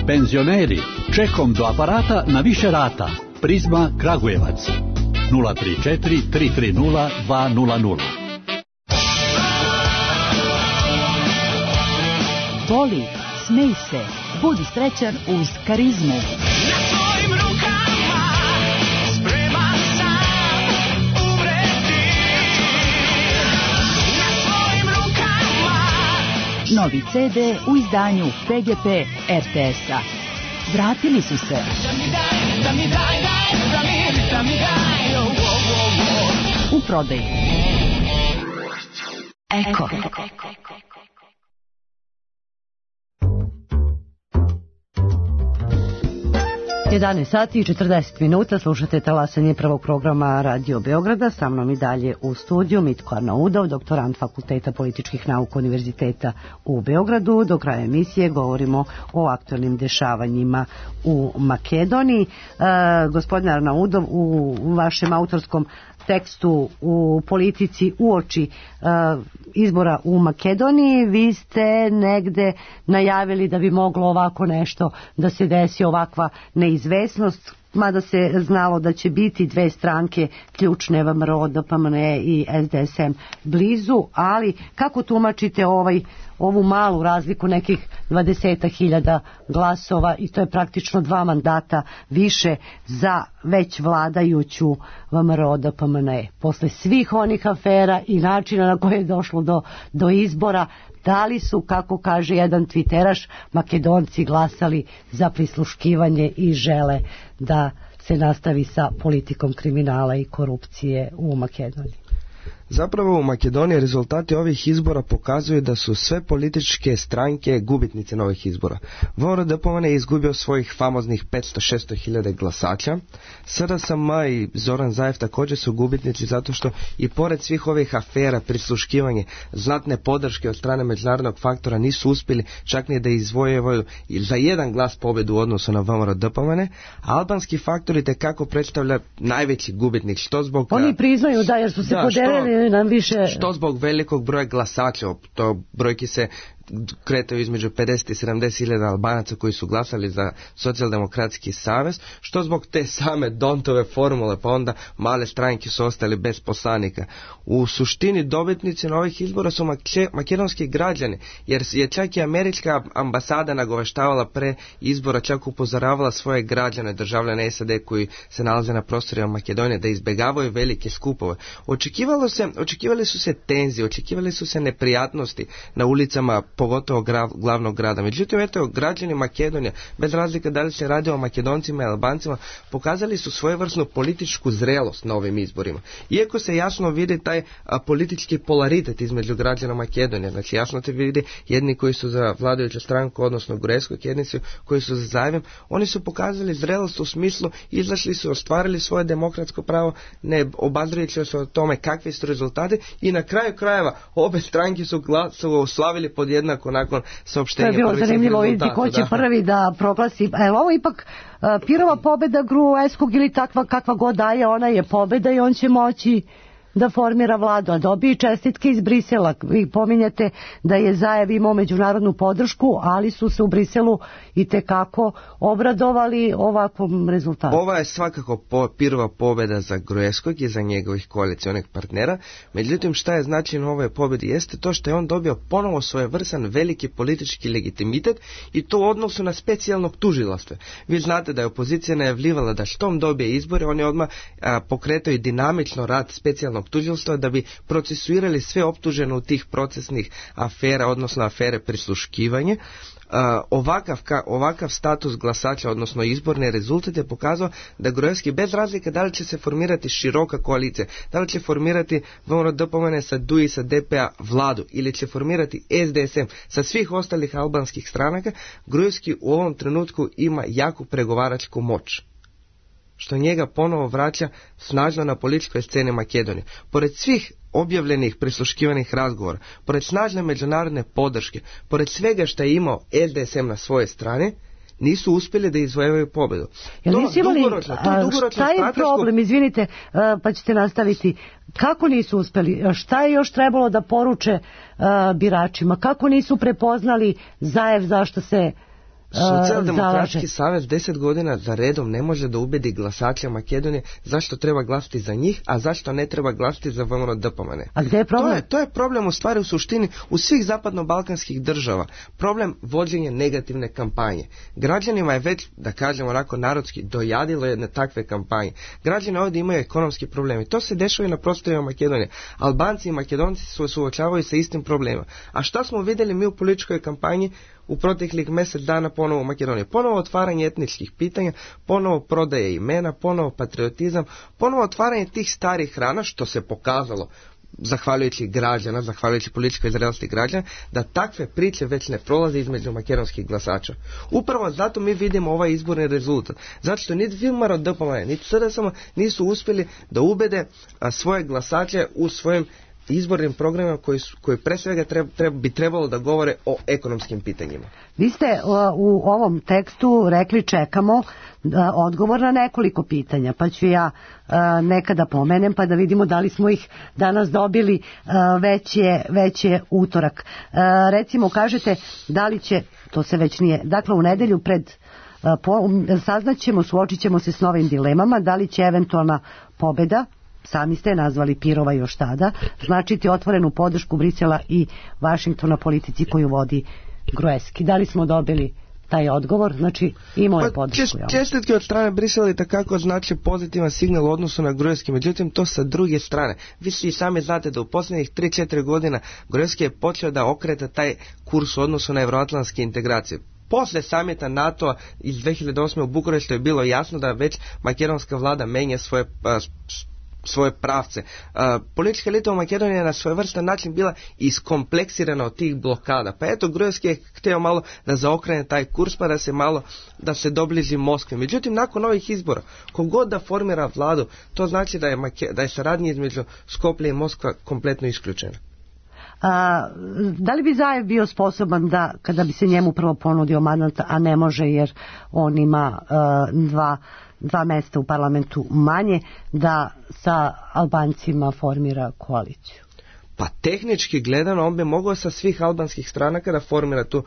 Penzioneri, čekom do aparata na više rata. Prizma Kragujevac. nula tri četiri tri tri nula dva nula nula. Voli, smej se, budi srećan uz Karizmu. Novi ce de u izdanju P G P R T S-a. Vratili su se. U prodaju. Eko. jedanaest sati i četrdeset minuta, slušate talasanje prvog programa Radio Beograda, sa mnom i dalje u studiju Mitko Arnaudov, doktorant Fakulteta političkih nauka Univerziteta u Beogradu. Do kraja emisije govorimo o aktualnim dešavanjima u Makedoniji. E, gospodine Arnaudov, u vašem autorskom tekstu u Politici uoči uh, izbora u Makedoniji vi ste negde najavili da bi moglo ovako nešto da se desi, ovakva neizvesnost, mada se znalo da će biti dve stranke ključne, V M R O, D P M N E i S D S M blizu, ali kako tumačite ovaj, ovu malu razliku nekih dvadeset hiljada glasova i to je praktično dva mandata više za već vladajuću V M R O, D P M N E. Posle svih onih afera i načina na koje je došlo do, do izbora, da li su, kako kaže jedan tviteraš, Makedonci glasali za prisluškivanje i žele da se nastavi sa politikom kriminala i korupcije u Makedoniji? Zapravo u Makedoniji rezultati ovih izbora pokazuju da su sve političke stranke gubitnice novih izbora. V M R D P M N je izgubio svojih famoznih petsto do šesto hiljada glasača. S R S M i Zoran Zaev također su gubitnici zato što i pored svih ovih afera, prisluškivanje, znatne podrške od strane međunarodnog faktora nisu uspjeli čak ni da izvojevaju za jedan glas pobjedu u odnosu na V M R D P M N. Albanski faktori tekako predstavlja najveći gubitnik. Što zbog... Oni priznaju da jer su se da, podelili što, nam više... Što zbog velikog broja glasača, to brojki se kretaju između pedeset i sedamdeset hiljada Albanaca koji su glasali za socijaldemokratski savez, što zbog te same Dontove formule, pa onda male stranke su ostali bez poslanika. U suštini dobitnici na ovih izbora su make, makedonski građani, jer je čak i američka ambasada nagoveštavala pre izbora, čak upozoravala svoje građane, državljane S A D koji se nalaze na prostorima Makedonije, da izbjegavaju velike skupove. Očekivalo se, očekivali su se tenzije, očekivali su se neprijatnosti na ulicama pogotovo gra, glavnog grada. Međutim, eto, građani Makedonije, bez razlike da li se radi o Makedoncima i Albancima, pokazali su svojevrsnu političku zrelost na ovim izborima. Iako se jasno vidi taj a, politički polaritet između građana Makedonije, znači jasno se vidi jedni koji su za vladajuću stranku, odnosno Gruevskog, jedni su koji su za Zaevem, oni su pokazali zrelost u smislu, izašli su, ostvarili svoje demokratsko pravo, ne obazirajući se o tome kakvi su rezultati i na kraju krajeva obe stranke su, gla, su oslavili pod jednako nakon saopštenja. To je bilo zanimljivo vidjeti ko će da. prvi da proglasi. E, ovo ipak uh, Pirova pobjeda Gruevskog ili takva kakva god daje, ona je pobjeda i on će moći da formira vladu, a dobije čestitke iz Brisela. Vi pominjete da je Zaev imao međunarodnu podršku, ali su se u Briselu i tekako obradovali ovakvom rezultatu. Ova je svakako po, Pirova pobjeda za Gruevskog i za njegovih koalicionih partnera. Međutim, šta je značajno ove pobjede jeste to što je on dobio ponovo svojevrstan veliki politički legitimitet i to u odnosu na specijalnog tužilaštva. Vi znate da je opozicija najavljivala da štom dobije izbore, oni odmah a, pokretaju dinamično rad specijalnog tužilaštva da bi procesuirali sve optužene u tih procesnih afera, odnosno afere prisluškivanje. Uh, ovakav, ka, ovakav status glasača, odnosno izborni rezultat je pokazao da Gruevski, bez razlike da li će se formirati široka koalicija, da li će formirati V M R D P M N sa D U I, sa D P A vladu ili će formirati S D S M sa svih ostalih albanskih stranaka, Gruevski u ovom trenutku ima jaku pregovaračku moć, što njega ponovo vraća snažno na političkoj sceni Makedonije. Pored svih objavljenih prisluškivanih razgovora, pored snažne međunarodne podrške, pored svega što je imao S D S M na svoje strane, nisu uspjeli da izvojevaju pobjedu. Ja to dugoročno, to dugoročno šta je strateško... problem, izvinite, pa ćete nastaviti. Kako nisu uspjeli? Šta je još trebalo da poruče uh, biračima? Kako nisu prepoznali Zaev zašto se Socijaldemokratski savez deset godina za redom ne može da ubedi glasače Makedonije zašto treba glasati za njih, a zašto ne treba glasati za V M R D P M N. A gdje je problem? To je, to je problem u stvari u suštini u svih zapadno-balkanskih država. Problem vođenja negativne kampanje. Građanima je već, da kažemo onako narodski, dojadilo jedne takve kampanje. Građani ovdje imaju ekonomski problemi. To se dešava i na prostorima Makedonije. Albanci i Makedonci su suočavaju sa istim problemima. A šta smo vidjeli mi u političkoj kampanji u proteklih mjesec dana ponovo u Makedoniji? Ponovo otvaranje etničkih pitanja, ponovo prodaje imena, ponovo patriotizam, ponovo otvaranje tih starih rana, što se pokazalo zahvaljujući građana, zahvaljujući političkoj zrelosti građana, da takve priče već ne prolaze između makedonskih glasača. Upravo zato mi vidimo ovaj izborni rezultat. Zato što niti V M R D P M N, niti S R S M nisu uspjeli da ubede a, svoje glasače u svojim izbornim programima koji, su, koji pre svega treba, treba, bi trebalo da govore o ekonomskim pitanjima. Vi ste uh, u ovom tekstu rekli čekamo uh, odgovor na nekoliko pitanja, pa ću ja uh, nekada pomenem pa da vidimo da li smo ih danas dobili, uh, već, je, već je utorak. Uh, recimo kažete da li će, to se već nije, dakle u nedelju pred uh, po, saznaćemo, suočit ćemo se s novim dilemama, da li će eventualna pobjeda, sami ste nazvali Pirova još tada, značiti otvorenu podršku Brisela i Vašingtona politici koju vodi Gruevski. Da li smo dobili taj odgovor? Znači imao je podršku. Pa, čestitke od strane Brisela i takako znači pozitivan signal u odnosu na Gruevski, međutim to sa druge strane. Vi svi sami znate da u posljednjih tri četiri godina Gruevski je počeo da okreta taj kurs u odnosu na evroatlantske integracije. Poslije samita NATO-a iz dve hiljade osme u Bukureštu je bilo jasno da već makedonska vlada menja svoje svoje pravce. Uh, politička elita u Makedoniji je na svojevrstan način bila iskompleksirana od tih blokada. Pa eto, Gruevski je htio malo da zaokrene taj kurs, pa da se malo, da se dobliži Moskvi. Međutim, nakon ovih izbora, kogod da formira vladu, to znači da je, Make, da je saradnja između Skoplje i Moskva kompletno isključena. A, da li bi Zajev bio sposoban da, kada bi se njemu prvo ponudio mandat, a ne može jer on ima uh, dva, dva mesta u parlamentu manje, da sa Albancima formira koaliciju? Pa tehnički gledano on bi mogao sa svih albanskih stranaka da formira tu.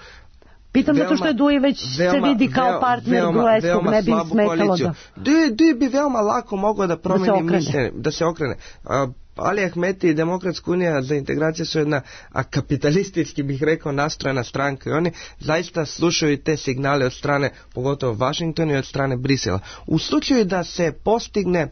Pitam zato što je Duji već veoma, se vidi kao partner Gruevskog, ne bi smetalo da... Duji, Duji bi veoma lako mogao da promeni mišljenje, da se okrene. Uh, Ali Ahmeti i Demokratska unija za integraciju su jedna a kapitalistički bih rekao nastrojena stranka i oni zaista slušaju te signale od strane pogotovo Washingtona i od strane Brisela. U slučaju da se postigne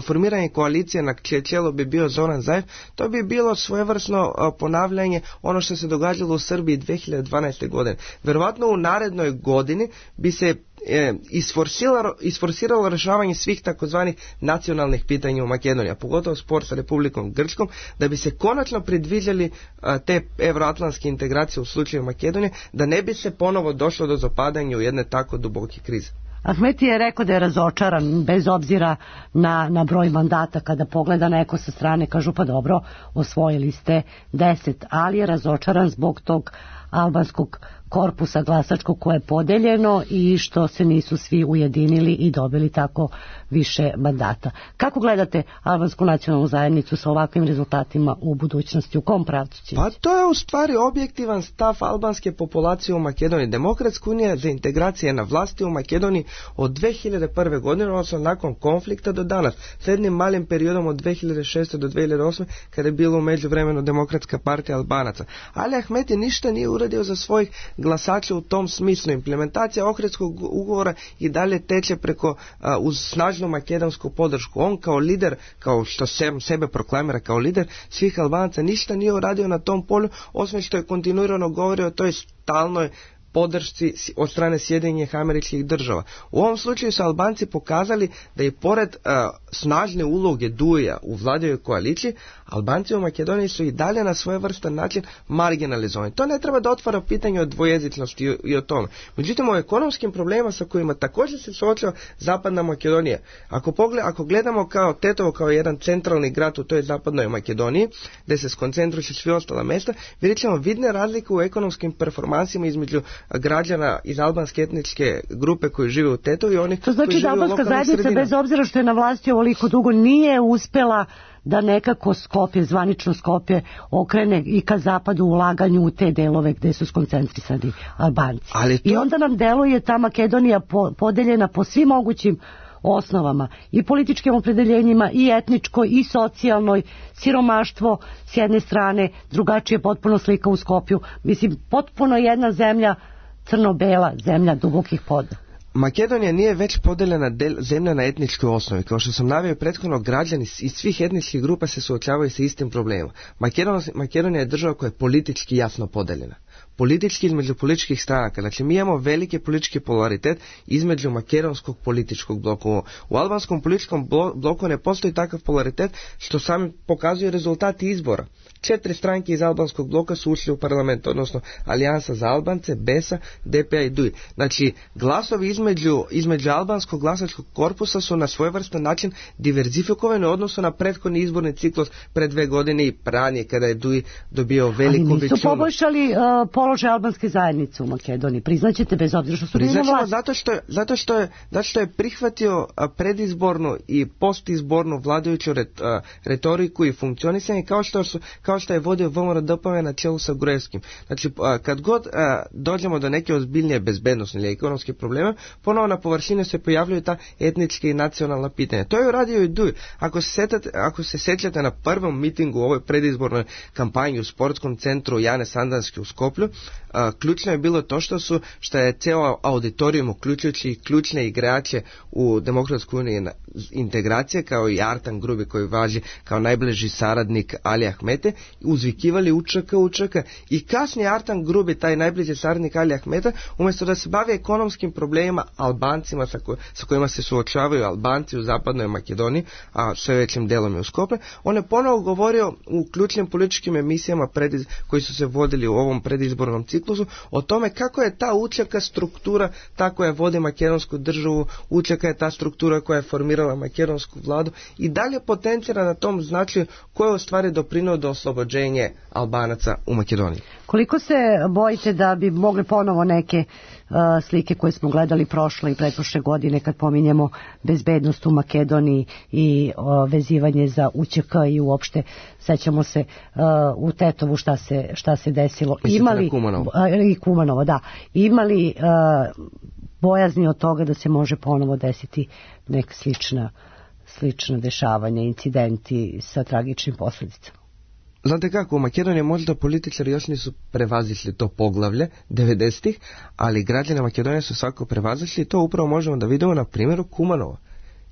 formiranje koalicije na čelu bi bio Zoran Zajev, to bi bilo svojevrsno ponavljanje ono što se događalo u Srbiji dvije hiljade dvanaeste. godine. Verovatno u narednoj godini bi se E, isforsiralo, isforsiralo rješavanje svih takozvanih nacionalnih pitanja u Makedoniji, a pogotovo spor sa Republikom Grčkom, da bi se konačno predviđali a, te euroatlantske integracije u slučaju Makedonije, da ne bi se ponovo došlo do zapadanja u jedne tako duboke krize. Ahmeti je rekao da je razočaran bez obzira na, na broj mandata. Kada pogleda neko sa strane kažu pa dobro, osvojili ste deset, ali je razočaran zbog tog albanskog korpusa glasačkog koje je podeljeno i što se nisu svi ujedinili i dobili tako više mandata. Kako gledate albansku nacionalnu zajednicu sa ovakvim rezultatima u budućnosti? U kom pravcu će? Pa to je u stvari objektivan stav albanske populacije u Makedoniji. Demokratska unija za integracije na vlasti u Makedoniji od dvije hiljade prve. godine, odnosno nakon konflikta do danas, s jednim malim periodom od dvije hiljade šeste. do dvije hiljade osme. kada je bilo u međuvremenu Demokratska partija Albanaca. Ali Ahmeti ništa nije uradio za svojih glasača u tom smislu. Implementacija Ohridskog ugovora i dalje teče preko a, uz snažnu makedonsku podršku. On kao lider, kao što se, sebe proklamira kao lider svih Albanaca, ništa nije uradio na tom polju, osim što je kontinuirano govorio o toj stalnoj podršci od strane Sjedinjenih Američkih Država. U ovom slučaju su Albanci pokazali da i pored uh, snažne uloge Duja u vladavoj koaliciji, Albanci u Makedoniji su i dalje na svojevrstan način marginalizovani. To ne treba da otvara pitanje o dvojezičnosti i, i o tome. Međutim, o ekonomskim problemima sa kojima također se suočava Zapadna Makedonija. Ako, pogled, ako gledamo kao Tetovo kao jedan centralni grad u toj Zapadnoj Makedoniji, gdje se skoncentruju svi ostala mjesta, vidjet ćemo vidne razlike u ekonomskim performansima između građana iz albanske etničke grupe koji žive u Tetovu i onih to znači koji žive u lokalnim sredinama. To znači da albanska zajednica, bez obzira što je na vlasti ovoliko dugo, nije uspela da nekako Skopje, zvanično Skopje, okrene i ka zapadu u ulaganju u te delove gde su skoncentrisani Albanci. Ali to... I onda nam deluje ta Makedonija po, podeljena po svim mogućim osnovama, i političkim opredeljenjima, i etničkoj, i socijalnoj, siromaštvo s jedne strane, drugačije potpuno slika u Skopju. Mislim, potpuno jedna zemlja, crno-bela zemlja dubokih poda. Makedonija nije već podeljena del, zemlja na etničkoj osnovi. Kao što sam naveo prethodno, građani iz svih etničkih grupa se suočavaju sa istim problemom. Makedonija je država koja je politički jasno podeljena. Politički između političkih stranaka. Znači mi imamo veliki politički polaritet između makedonskog političkog bloka. U albanskom političkom bloku ne postoji takav polaritet, što sami pokazuje rezultati izbora. Četiri stranke iz albanskog bloka su ušli u parlament, odnosno Alijansa za Albance, Besa, D P A i Duj. Znači glasovi između, između albanskog glasačkog korpusa su na svojevrstan način diverzifikovani u odnosu na prethodni izborni ciklus pred dve godine i ranije kada je Duj dobio veliku većinu. Ali nisu poboljšali uh, položaj albanske zajednice u Makedoniji, priznaćete, bez obzira što su bili na vlasti. Zato što je, zato što je, zato što je prihvatio predizbornu i postizbornu vladajuću ret, uh, retoriku i funkcionisanje, kao što su kao što je vodio V M R D P na čelu sa Gruevskim. Znači, kad god a, dođemo do neke ozbiljnije bezbednosne ili ekonomske probleme, ponovo na površini se pojavljaju ta etnička i nacionalna pitanja. To je uradio i Duj. Ako se, setate, ako se sećate na prvom mitingu u ovoj predizbornoj kampanji u sportskom centru Jane Sandanski u Skoplju, a, ključno je bilo to što su, što je cijelo auditorijum, uključujući ključne igrače u Demokratskoj uniji integracije, kao i Artan Grubi koji važi kao najbliži saradnik Ali Ahmete, uzvikivali učaka, učaka i kasnije Artan Grubi, taj najbliži saradnik Ali Ahmeta, umjesto da se bavi ekonomskim problemima Albancima sa, ko, sa kojima se suočavaju Albanci u zapadnoj Makedoniji, a sve većim delom je u Skopje, on je ponovo govorio u ključnim političkim emisijama prediz, koji su se vodili u ovom predizbornom ciklusu o tome kako je ta učaka struktura ta koja vodi makedonsku državu, učaka je ta struktura koja je formirala makedonsku vladu i dalje potencira na tom značaju koje u stvari doprinuo do oslobođenja Albanaca u Makedoniji. Koliko se bojite da bi mogli ponovo neke uh, slike koje smo gledali prošle i pretprošle godine kad pominjemo bezbednost u Makedoniji i uh, vezivanje za U Ć K i uopšte sećamo se uh, u Tetovu šta se, šta se desilo. Mislite imali, na Kumanovo? Uh, I Kumanovo, da. Imali uh, bojazni od toga da se može ponovo desiti neka slična, slična dešavanja, incidenti sa tragičnim posljedicama? Znate kako, u Makedoniji možda političari još nisu prevazišli to poglavlje devedesetih, ali građani Makedonije su svako prevazišli i to upravo možemo da vidimo na primjeru Kumanova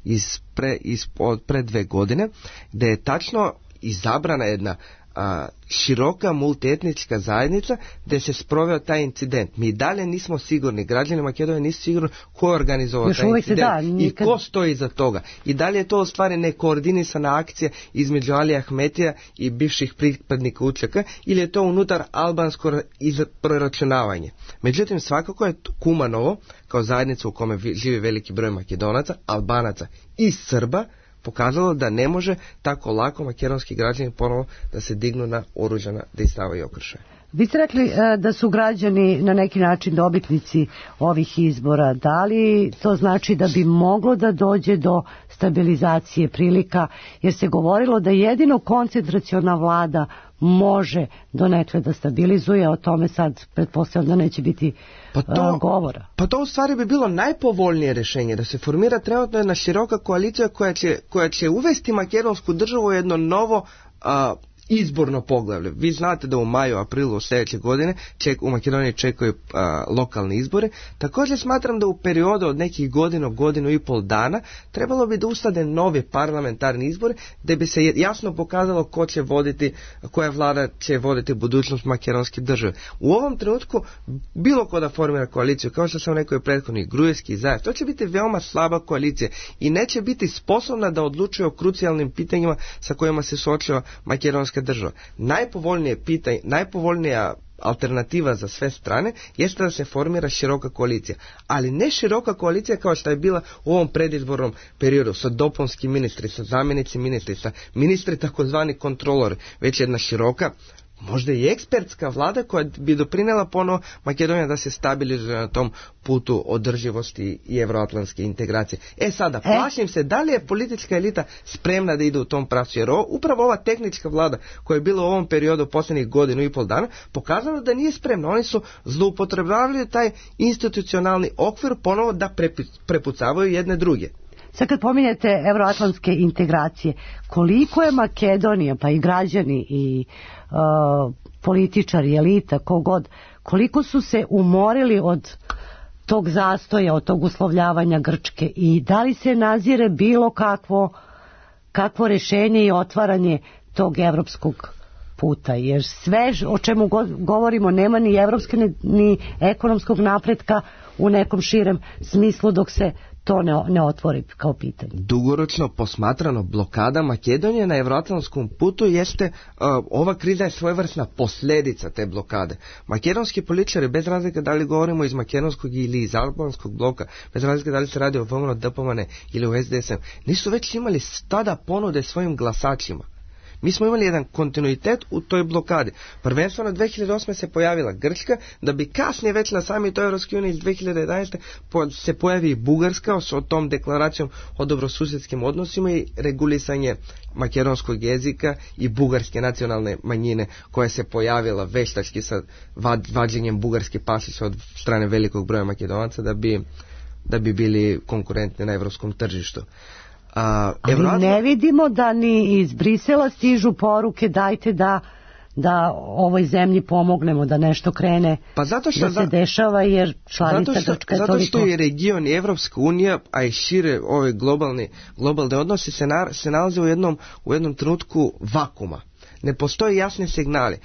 iz pre, iz, od pre dve godine, gdje je tačno izabrana jedna a, široka multietnička zajednica gdje se sproveo taj incident. Mi dalje nismo sigurni, građani Makedonije nisu sigurni ko je organizovao još taj incident da, nikad... i ko stoji iza toga. I dalje je to u stvari nekoordinisana akcija između Ali Ahmetija i bivših pripadnika U Č K ili je to unutar albansko proračunavanje. Međutim, svakako je Kumanovo, kao zajednica u kome živi veliki broj Makedonaca, Albanaca i Srba, pokazalo da ne može tako lako makedonski građani ponovo da se dignu na oružana dejstava i okršaje. Vi ste rekli da su građani na neki način dobitnici ovih izbora. Da li to znači da bi moglo da dođe do stabilizacije prilika, jer se govorilo da jedino koncentraciona vlada može donekle da stabilizuje, o tome sad pretpostavljam da neće biti pa to, uh, govora. Pa to u stvari bi bilo najpovoljnije rješenje, da se formira trenutno jedna široka koalicija koja će, koja će uvesti makedonsku državu u jedno novo uh, izborno poglavlje. Vi znate da u maju, aprilu sljedeće godine ček, u Makedoniji čekaju a, lokalni izbore. Također smatram da u periodu od nekih godinu, godinu i pol dana trebalo bi da ustade novi parlamentarni izbori da bi se jasno pokazalo ko će voditi, koja vlada će voditi budućnost makedonske države. U ovom trenutku bilo ko da formira koaliciju, kao što sam rekao i prethodni, Grujevski i Zajev, to će biti veoma slaba koalicija i neće biti sposobna da odlučuje o krucijalnim pitanjima sa kojima se suočava makedonska država. Najpovoljnije pitanje, najpovoljnija alternativa za sve strane jeste da se formira široka koalicija, ali ne široka koalicija kao što je bila u ovom predizbornom periodu sa dopunskim ministri, sa zamjenici ministri, sa ministri takozvani kontrolori, već jedna široka, možda i ekspertska vlada koja bi doprinela ponovo Makedonija da se stabilizuje na tom putu održivosti i evroatlantske integracije. E sada, plašim se da li je politička elita spremna da ide u tom pravcu, jer ovo, upravo ova tehnička vlada koja je bila u ovom periodu posljednjih godinu i pol dana pokazala da nije spremna. Oni su zloupotrebljavali taj institucionalni okvir ponovo da prepucavaju jedne druge. Sad kad pominjete evroatlantske integracije, koliko je Makedonija, pa i građani i uh, političari, elita, kogod, koliko su se umorili od tog zastoja, od tog uslovljavanja Grčke i da li se nazire bilo kakvo, kakvo rješenje i otvaranje tog evropskog puta, jer sve o čemu go, govorimo nema ni evropske ni, ni ekonomskog napretka u nekom širem smislu dok se to ne, ne otvori kao pitanje. Dugoročno posmatrano blokada Makedonije na evroatlantskom putu jeste, uh, ova kriza je svojevrsna posljedica te blokade. Makedonski političari, bez razlike da li govorimo iz makedonskog ili iz albanskog bloka, bez razlike da li se radi o V M N O, D P M N ili o S D S M, nisu već imali tada ponude svojim glasačima. Mi smo imali jedan kontinuitet u toj blokadi. Prvenstveno dvije hiljade osme se pojavila Grčka, da bi kasnije već na samitu Europske unije iz dvije hiljade jedanaeste se pojavi i Bugarska s tom deklaracijom o dobrosusjedskim odnosima i regulisanje makedonskog jezika i bugarske nacionalne manjine koja se pojavila veštački sa vađenjem bugarske pasoše od strane velikog broja Makedonaca da bi, da bi bili konkurentni na europskom tržištu. A, Ali Evroatla... ne vidimo da ni iz Brisela stižu poruke dajte da da ovoj zemlji pomognemo da nešto krene pa zato što da se dešava, jer članica zato što, Grčka je zato toliko... što je region i Evropska unija, a i šire ove globalni, globalne odnose se, na, se nalaze u jednom, u jednom trenutku vakuma. Ne postoje jasne signali.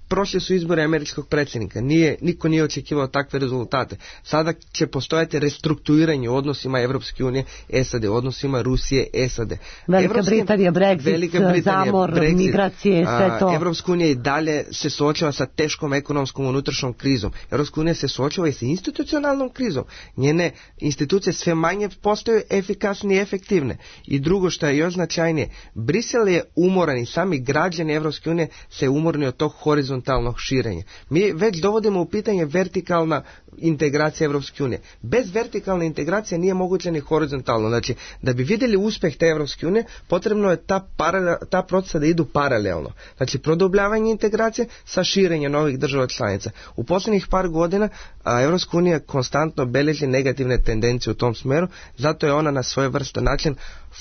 Prošli su izbori američkog predsjednika, nije, niko nije očekivao takve rezultate. Sada će postojati restrukturiranje u odnosima Evropske unije, S A D, odnosima Rusije, S A D. Velika Evropske, Britanija, Brexit, Velika Britanija, zamor, Brexit, migracije, sve to. Evropska unija i dalje se suočava sa teškom ekonomskom unutrašnjom krizom. Evropska unija se suočava i sa institucionalnom krizom. Njene institucije sve manje postaju efikasne i efektivne. I drugo što je još značajnije, Brisel je umoran i sami građani Evropske unije se umorni od tog horizontalnog širenja. Mi već dovodimo u pitanje vertikalna integracija Evropske unije. Bez vertikalne integracije nije moguće ni horizontalno. Znači, da bi vidjeli uspjeh te Evropske unije, potrebno je ta, paralel, ta procesa da idu paralelno. Znači, produbljavanje integracije sa širenjem novih država članica. U posljednjih par godina a, Evropska unija konstantno beleži negativne tendencije u tom smeru, zato je ona na svojevrstan način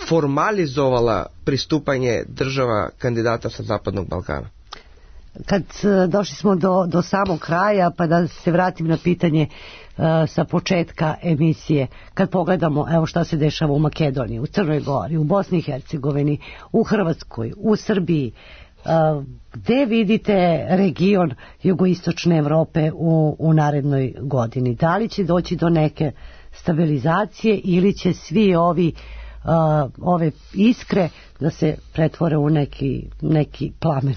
formalizovala pristupanje država kandidata sa Zapadnog Balkana. Kad došli smo do, do samog kraja, pa da se vratim na pitanje uh, sa početka emisije, kad pogledamo evo šta se dešava u Makedoniji, u Crnoj Gori, u Bosni i Hercegovini, u Hrvatskoj, u Srbiji, uh, gde vidite region jugoistočne Evrope u, u narednoj godini? Da li će doći do neke stabilizacije ili će svi ovi uh, ove iskre da se pretvore u neki, neki plamen?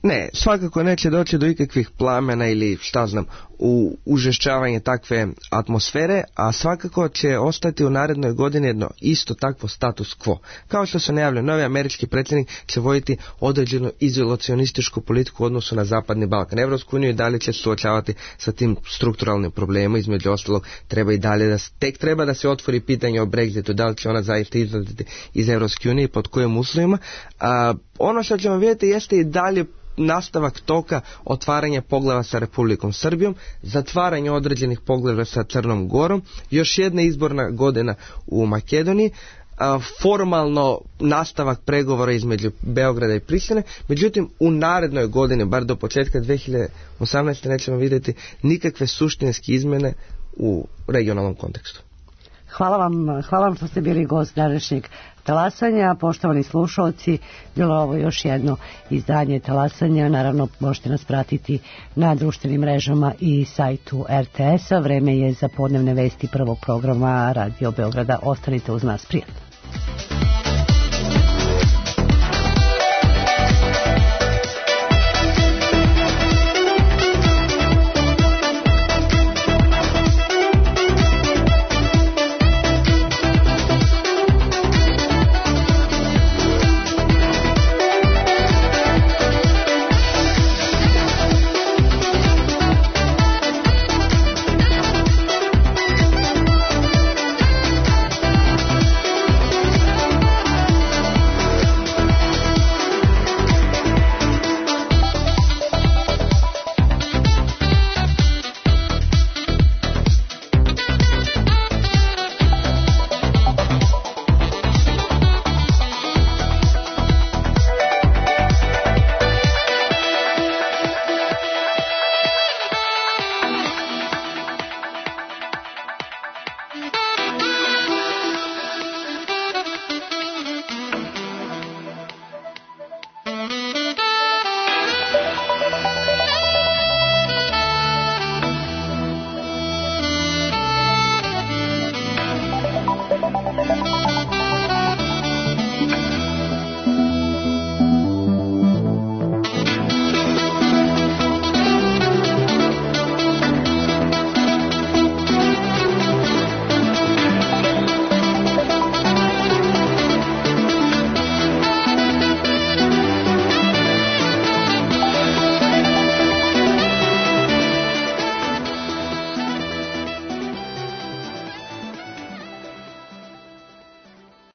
Ne, svakako neće doći do ikakvih plamena ili šta znam u užešćavanje takve atmosfere, a svakako će ostati u narednoj godini jedno isto takvo status quo. Kao što se najavlja, novi američki predsjednik će voditi određenu izolacionističku politiku u odnosu na Zapadni Balkan. Evropsku uniju i dalje će suočavati sa tim strukturalnim problemima, između ostalog treba i dalje da tek treba da se otvori pitanje o Brexitu, da li će ona zaista izlaziti iz Evropske unije, pod kojim uslovima. A, ono što ćemo vidjeti jeste i dalje nastavak toka otvaranja poglavlja sa Republikom Srbijom, zatvaranje određenih poglavlja sa Crnom Gorom, još jedna izborna godina u Makedoniji, a, formalno nastavak pregovora između Beograda i Prištine, međutim u narednoj godini, bar do početka dvije hiljade osamnaeste. nećemo vidjeti nikakve suštinske izmjene u regionalnom kontekstu. Hvala vam, hvala vam što ste bili gost današnjeg talasanja. Poštovani slušalci, bilo ovo još jedno izdanje talasanja. Naravno, možete nas pratiti na društvenim mrežama i sajtu R T S-a. Vreme je za podnevne vesti prvog programa Radio Beograda. Ostanite uz nas, prijatno.